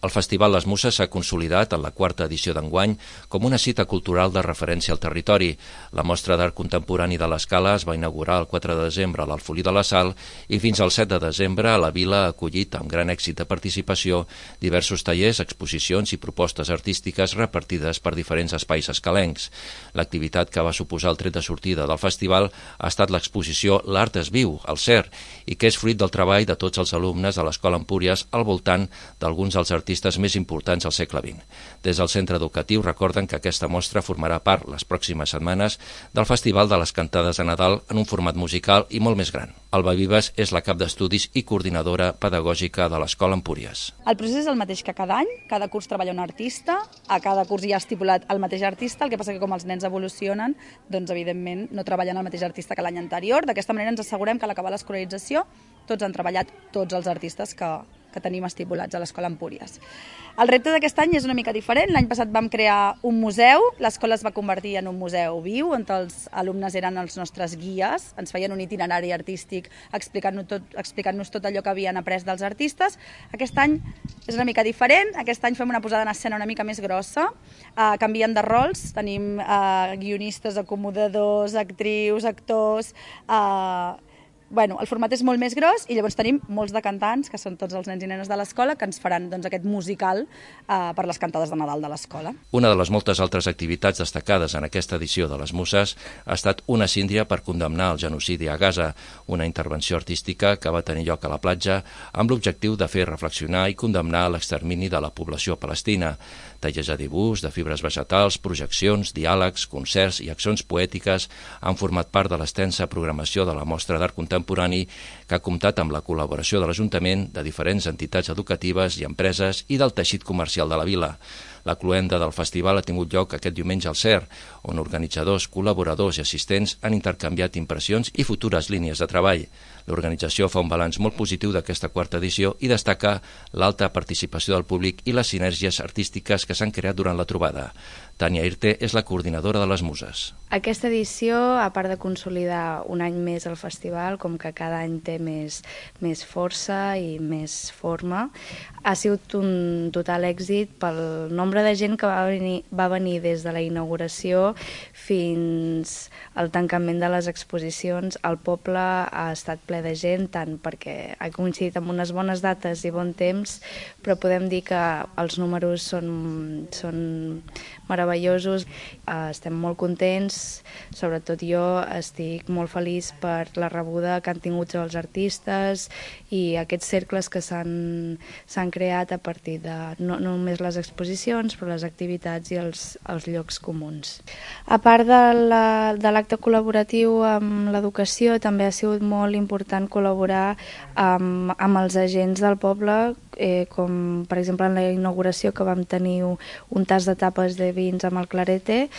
El Festival Les Muses s'ha consolidat en la quarta edició d'enguany com una cita cultural de referència al territori. La mostra d'art contemporani de l'Escala es va inaugurar el 4 de desembre a l'Alfolí de la Sal i fins al 7 de desembre a la Vila ha acollit amb gran èxit de participació diversos tallers, exposicions i propostes artístiques repartides per diferents espais escalencs. L'activitat que va suposar el tret de sortida del festival ha estat l'exposició L'Art es viu, al CER, i que és fruit del treball de tots els alumnes de l'Escola Empúries al voltant d'alguns dels artistes més importants al segle XX. Des del centre educatiu recorden que aquesta mostra formarà part les pròximes setmanes del Festival de les Cantades de Nadal en un format musical i molt més gran. Alba Vives és la cap d'estudis i coordinadora pedagògica de l'Escola Empúries. El procés és el mateix que cada any, cada curs treballa un artista, a cada curs hi ha estipulat el mateix artista, el que passa que com els nens evolucionen, doncs evidentment no treballen el mateix artista que l'any anterior. D'aquesta manera ens assegurem que a l'acabar l'escolarització tots han treballat tots els artistes que tenim estipulats a l'Escola Empúries. El repte d'aquest any és una mica diferent. L'any passat vam crear un museu, l'escola es va convertir en un museu viu, on els alumnes eren els nostres guies, ens feien un itinerari artístic explicant-nos tot allò que havien après dels artistes. Aquest any és una mica diferent, aquest any fem una posada en escena una mica més grossa, canviem de rols, tenim guionistes, acomodadors, actrius, actors. El format és molt més gros i llavors tenim molts de cantants, que són tots els nens i nenes de l'escola, que ens faran aquest musical per les cantades de Nadal de l'escola. Una de les moltes altres activitats destacades en aquesta edició de les Muses ha estat una síndria per condemnar el genocidi a Gaza, una intervenció artística que va tenir lloc a la platja amb l'objectiu de fer reflexionar i condemnar l'extermini de la població palestina. Tallers a dibuix, de fibres vegetals, projeccions, diàlegs, concerts i accions poètiques han format part de l'extensa programació de la mostra d'art contemporani que ha comptat amb la col·laboració de l'Ajuntament, de diferents entitats educatives i empreses i del teixit comercial de la vila. La cloenda del festival ha tingut lloc aquest diumenge al CER, on organitzadors, col·laboradors i assistents han intercanviat impressions i futures línies de treball. L'organització fa un balanç molt positiu d'aquesta quarta edició i destaca l'alta participació del públic i les sinergies artístiques que s'han creat durant la trobada. Tània Irte és la coordinadora de les Muses. Aquesta edició, a part de consolidar un any més el festival, com que cada any té més força i més forma, ha sigut un total èxit pel nombre de gent que va venir des de la inauguració fins al tancament de les exposicions. El poble ha estat ple de gent, tant perquè ha coincidit amb unes bones dates i bon temps, però podem dir que els números són meravellosos. Estem molt contents, sobretot jo estic molt feliç per la rebuda que han tingut els artistes i aquests cercles que s'han creat a partir de no només les exposicions, però les activitats i els llocs comuns. A part de l'acte col·laboratiu amb l'educació, també ha sigut molt important col·laborar amb els agents del poble, com per exemple en la inauguració que vam tenir un tas de tapes de vins amb el Clarete,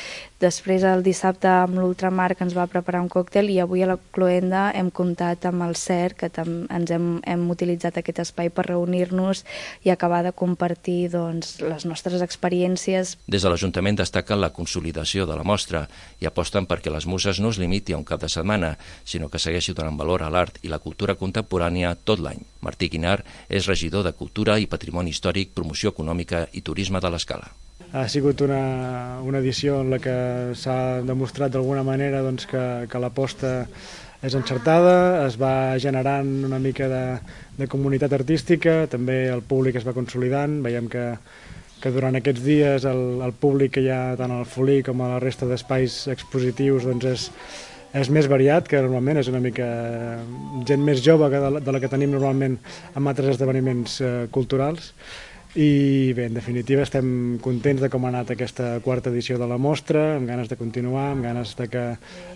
després el dissabte amb l'Ultramar que ens va preparar un còctel i avui a la cloenda hem comptat amb el CER, que ens hem utilitzat aquest espai per reunir-nos i acabar de compartir les nostres experiències. Des de l'Ajuntament destaquen la consolidació de la mostra i aposten perquè les Muses no es limiti a un cap de setmana, sinó que segueixi donant valor a l'art i la cultura contemporània tot l'any. Martí Guinar és regidor de Cultura i Patrimoni Històric, Promoció Econòmica i Turisme de l'Escala. Ha sigut una edició en la que s'ha demostrat d'alguna manera que l'aposta és encertada, es va generant una mica de comunitat artística, també el públic es va consolidant, veiem que durant aquests dies el públic que hi ha tant al Folí com a la resta d'espais expositius és més variat, que normalment és una mica gent més jove de la que tenim normalment en altres esdeveniments culturals. I bé, en definitiva estem contents de com ha anat aquesta quarta edició de la mostra, amb ganes de continuar, amb ganes de que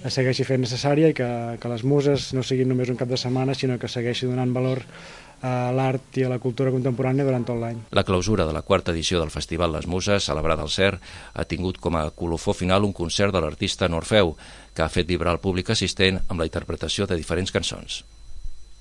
es segueixi fent necessària i que les Muses no siguin només un cap de setmana, sinó que segueixi donant valor a l'art i a la cultura contemporània durant tot l'any. La clausura de la quarta edició del Festival Les Muses, celebrada al CER, ha tingut com a colofó final un concert de l'artista Norfeu, que ha fet vibrar el públic assistent amb la interpretació de diferents cançons.